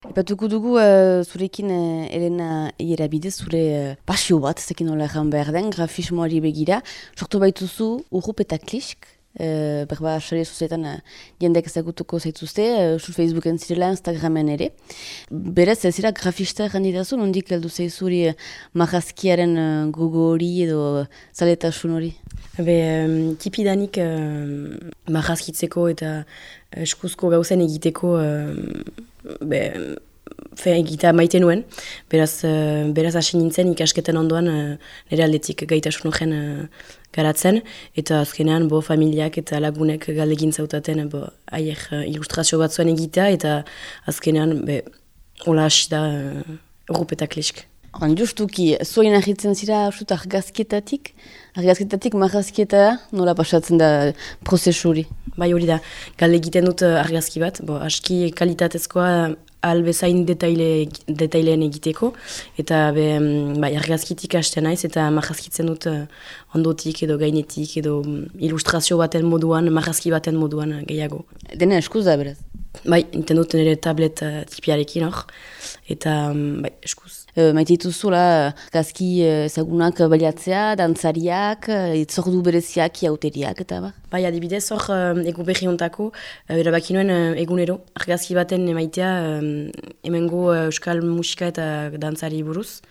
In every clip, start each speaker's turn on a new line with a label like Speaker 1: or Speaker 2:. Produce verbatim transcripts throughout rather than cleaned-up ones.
Speaker 1: Ipatuko dugu uh, zurekin uh, Elena Ierabide, zure uh, pasio bat, zekin nola egan behar den, grafismoari begira. Sortu baituzu Urrup eta Klisk, uh, berba sare sozialetan uh, jendek ezagutuko zaituzte, uh, Facebooken zirela, Instagramen ere. Berez, ez zira grafista egan ditazu, nondik heldu zaizuri uh, marrazkiaren uh, gogo hori edo uh, zaletasun hori?
Speaker 2: Be, um, tipidanik uh, marrazkitzeko eta eskuzko gauzen egiteko uh, be, fe, egita maite nuen, beraz, uh, beraz hasi nintzen ikasketen ondoan uh, nire aldetik gaitasun horren uh, garatzen, eta azkenean bo familiak eta lagunek galdegin zautaten bo, aier uh, ilustrazio batzuen egitea, eta azkenean be, hola hasi da uh, Urrup eta Klisk.
Speaker 1: Oran, justuki, zoin ahitzen zira usut argazketatik, argazketatik marrazkieta nola pasatzen da prozesu hori?
Speaker 2: Bai hori da, galde egiten dut argazki bat, bo, aski kalitatezkoa albezain detaile, detaileen egiteko, eta be, bai, argazkitik hasten naiz, eta marrazkitzen dut ondotik edo gainetik edo ilustrazio baten moduan, marrazki baten moduan gehiago.
Speaker 1: Dena eskuz da beraz?
Speaker 2: Bai, enten dut nire tablet uh, tipiarekin hor, eta bai, eskuz.
Speaker 1: E, maite dituzula gazki ezagunak baliatzea, dantzariak, itzordu bereziak, iauteriak eta ba?
Speaker 2: Bai, adibidez hor uh, egu berri hontako, uh, erabaki nuen uh, egunero, argazki baten emaitea um, hemengo uh, euskal musika eta dantzari buruz,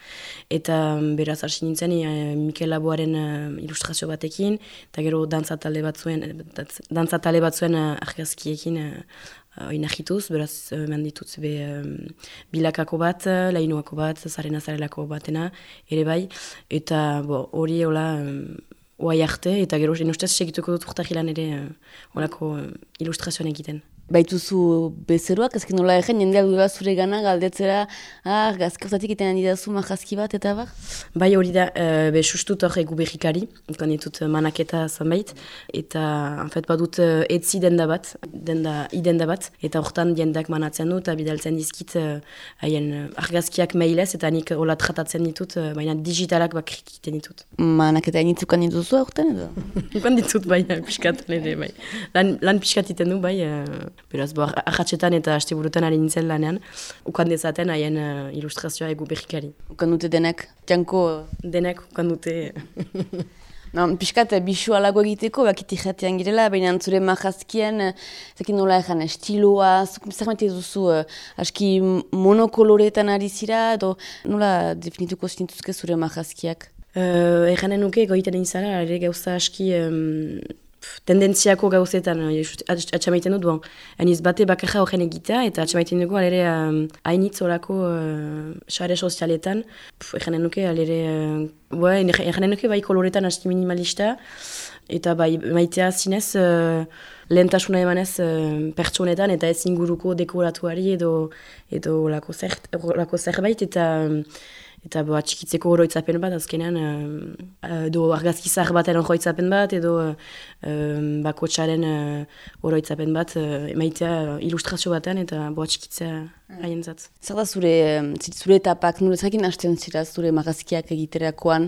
Speaker 2: eta um, beraz hasi nintzen uh, Mikel Laboaren uh, ilustrazio batekin, eta gero dantza talde batzuen, dantza talde batzuen uh, argazkiekin uh, oinahituz, beraz eman ditut be um, bilakako bat, lainuako bat, zaren azarelako batena, ere bai, eta hori hola um, oai arte, eta gero ustez segituko dut urtahilan ere uh, olako uh, ilustrazioan egiten.
Speaker 1: Baituzu bezeroak, ezkin nola egen, jendea dura zure gana galdetzera, ah, gazkertatik iten handi dazu marrazki bat, eta bar?
Speaker 2: Bai hori da, uh, be sustut hor egu berrikari, ikon ditut manaketa zanbait, eta en fet badut uh, etzi denda bat, denda, idenda bat, eta hortan jendak manatzen dut, eta bidaltzen dizkit uh, haien uh, argazkiak mailez, eta nik hola tratatzen ditut, uh, baina digitalak bakrik iten ditut.
Speaker 1: Manaketa initzukan dituzu hortan edo?
Speaker 2: Ikon ditut bai, piskat, nire, bai. Lan, lan piskat iten du bai, uh, beraz, bo, ahatsetan eta asteburutan ari nintzen lanean, ukan dezaten haien uh, ilustrazioa egu berrikari.
Speaker 1: Ukan dute denek, janko...
Speaker 2: Denek ukan dute...
Speaker 1: No, piskat, bisu alago egiteko, bakiti jatean girela, baina zure marrazkien, zekin nola egan, estiloa, zer maite duzu, aski monokoloretan ari zira, edo nola definituko zinituzke zure marrazkiak?
Speaker 2: Uh, Eganen nuke, goiten egin zara, ere gauza aski... Um, tendentziako gauzetan atxamaiten dut, bon, eniz bate bakarra horren egitea, eta atxamaiten dugu alere um, hainitz horako sare uh, sozialetan, eganen nuke, alere, uh, eganen nuke bai koloretan asti minimalista, eta bai maitea zinez uh, lehentasuna emanez uh, pertsonetan, eta ez inguruko dekoratuari edo, edo lako, zer, lako zerbait, eta... Um, Eta bo, atxikitzeko oroitzapen bat, azkenean, uh, edo argazki zahar baten oroitzapen bat, edo uh, um, bakotxaren uh, oroitzapen bat, uh, emaitea uh, ilustrazio baten, eta bo, atxikitzea haien zat.
Speaker 1: Zer da zure, zure etapak, nure zakin hasten zira zure marrazkiak egiterakoan,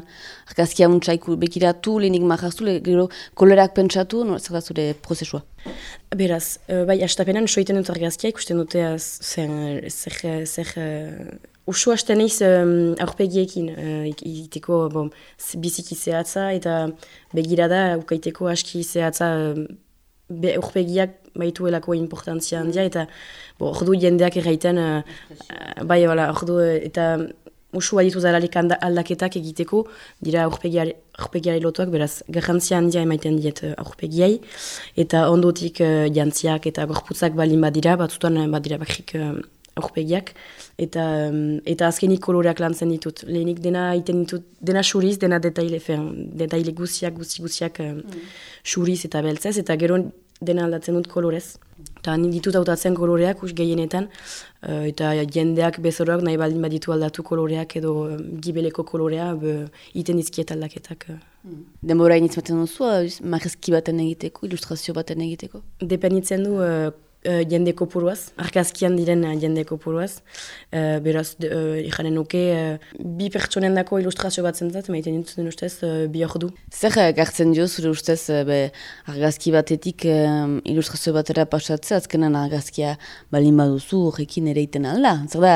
Speaker 1: argazkia muntzaiku bekiratu, lehenik marraztu, gero kolerak pentsatu, nure zer da zure prozesua?
Speaker 2: Beraz, uh, bai, astapenan soiten dut argazkia, ikusten dute zer... zer, zer Usu hasten eiz um, aurpegiekin, uh, egiteko bon, biziki zehatza eta begirada ukaiteko aski zehatza uh, be, aurpegiak baituelako importantzia handia eta bo, ordu jendeak erraiten, uh, bai hola, ordu eta usu aditu zaralik aldaketak egiteko dira aurpegiari, aurpegiari lotuak, beraz garrantzia handia emaiten diet uh, aurpegiai eta ondotik uh, jantziak eta gorputzak balin badira, batzutan badira bakrik uh, aurpegiak, eta, eta azkenik koloreak lantzen ditut. Lehenik dena iten ditut, dena xuriz, dena detaile, fen, detaile guziak, guzi guziak mm. xuriz eta beltzez, eta gero dena aldatzen dut kolorez. Eta nik ditut hautatzen koloreak, us gehienetan, uh, eta jendeak bezoroak nahi baldin baditu aldatu koloreak edo um, gibeleko kolorea, be, iten dizkiet aldaketak.
Speaker 1: Mm. Denbora iniz baten duzu, marrazki baten egiteko, ilustrazio baten egiteko?
Speaker 2: Dependitzen du, uh, uh, jende kopuruaz, argazkian diren uh, jende kopuruaz. Uh, beraz, uh, ikanen nuke, uh, bi pertsonen dako ilustrazio bat zentzat, maiten dut ustez, uh, bi ordu.
Speaker 1: Zer gartzen dio zure ustez be, argazki batetik um, ilustrazio batera pasatzea, azkenan argazkia balin baduzu horrekin ere iten alda. Zer da,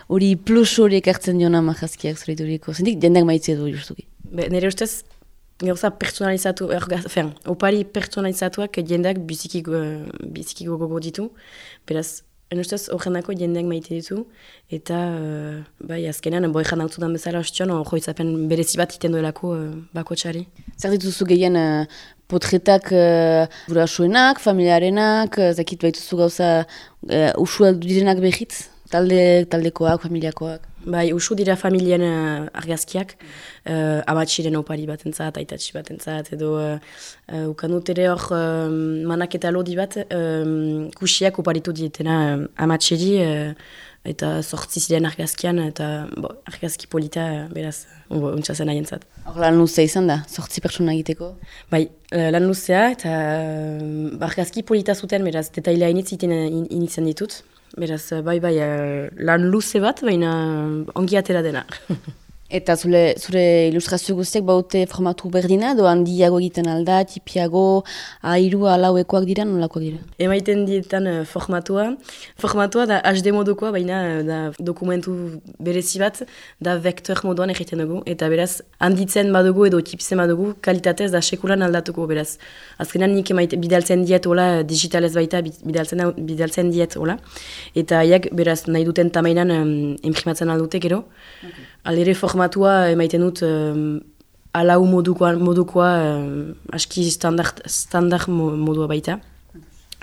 Speaker 1: hori plus hori ekartzen diona argazkiak zure ituriko. Zendik, jendeak maitzea du justuki.
Speaker 2: Be, nire ustez, gauza personalizatu, ergaz, fen, opari personalizatuak jendeak biziki, uh, biziki gogogo ditu. Beraz, en ustez, horrenako jendeak maite ditu. Eta, uh, bai, azkenean, boi jan hau bezala ostion, joitzapen berezi bat iten duelako uh, bako txari.
Speaker 1: Zer dituzu gehien uh, potretak uh, burasuenak, familiarenak, uh, zakit baituzu gauza uh, usua direnak behitz? Talde, taldekoak, familiakoak?
Speaker 2: Bai, usu dira familien uh, argazkiak, uh, amatxiren opari batentzat, aitatxi batentzat, edo uh, uh, ukanut ere hor uh, manaketa lodi bat, uh, kusiak oparitu dietena uh, amatxeri, uh, eta sortzi ziren argazkian, eta bo, argazki polita, uh, beraz, uh, untsazen haien zat.
Speaker 1: Hor lan luzea izan da, sortzi pertsona egiteko?
Speaker 2: Bai, uh, lan luzea, eta uh, argazki polita zuten, beraz, detailea initz iten in, initzen ditut. Beraz, bai, bai, lan luze bat, baina ongi atera dena.
Speaker 1: Eta zure, zure ilustrazio guztiak baute formatu berdina, edo handiago egiten alda, tipiago, airu alauekoak dira, nolakoak dira?
Speaker 2: Emaiten dietan uh, formatua. Formatua da H D modukoa, baina uh, da dokumentu berezi bat, da vektor moduan egiten dugu. Eta beraz, handitzen badugu edo tipitzen badugu, kalitatez da sekulan aldatuko, beraz. Azkenan nik emaite, bidaltzen diet, hola, digitalez baita, bidaltzen, bidaltzen diet, hola. Eta haiek, beraz, nahi duten tamainan um, imprimatzen aldute gero. Okay. Aldere formatua emaiten dut um, alau modukoa, modukoa um, aski standard, standard modua baita.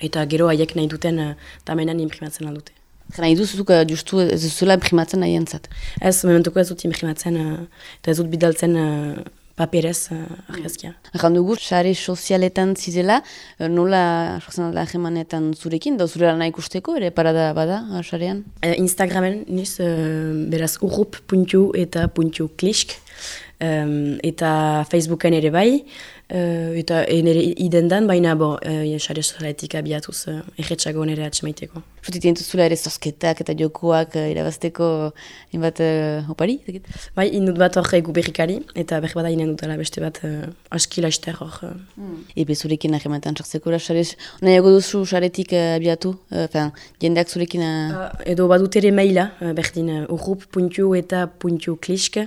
Speaker 2: Eta gero haiek nahi duten uh, tamenan imprimatzen aldute.
Speaker 1: Nahi duzuk justu ez duzuela imprimatzen nahi entzat?
Speaker 2: Ez, momentuko ez dut imprimatzen uh, eta ez dut bidaltzen uh, paperez uh, argazkia.
Speaker 1: Erran dugu, sare sozialetan zizela, nola sortzen da hemanetan zurekin, da zure lana ikusteko, ere parada bada, sarean?
Speaker 2: Uh, Instagramen niz, uh, beraz, urrup puntu eta puntu klisk, um, eta Facebooken ere bai, uh, eta nire idendan, baina bo, uh, sare sozialetik abiatuz uh, erretxago nire atxemaiteko.
Speaker 1: Zutik dintuzula ere zozketak eta jokoak uh, irabazteko inbat uh, opari?
Speaker 2: Bai, indut bat hor egu berrikari, eta berri bada inen dutela beste bat uh, aski laizter hor. Uh.
Speaker 1: Mm. Ebe zurekin ahemanetan txartzeko, nahiago duzu saretik uh, abiatu, uh, fin, jendeak zurekin... Uh...
Speaker 2: Uh, edo badut ere maila, uh, berdin uh, urrup puntu eta puntu klisk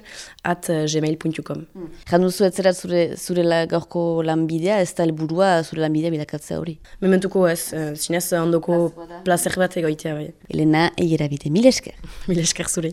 Speaker 2: at uh, gmail puntu com.
Speaker 1: Mm. Jan duzu ez zera zure, zure la, gaurko lanbidea, ez da helburua zure lanbidea bilakatzea hori?
Speaker 2: Mementuko ez, uh, zinez ondoko placer bat egoitea bai.
Speaker 1: Elena Eierabide, mil esker.
Speaker 2: Mil esker zure.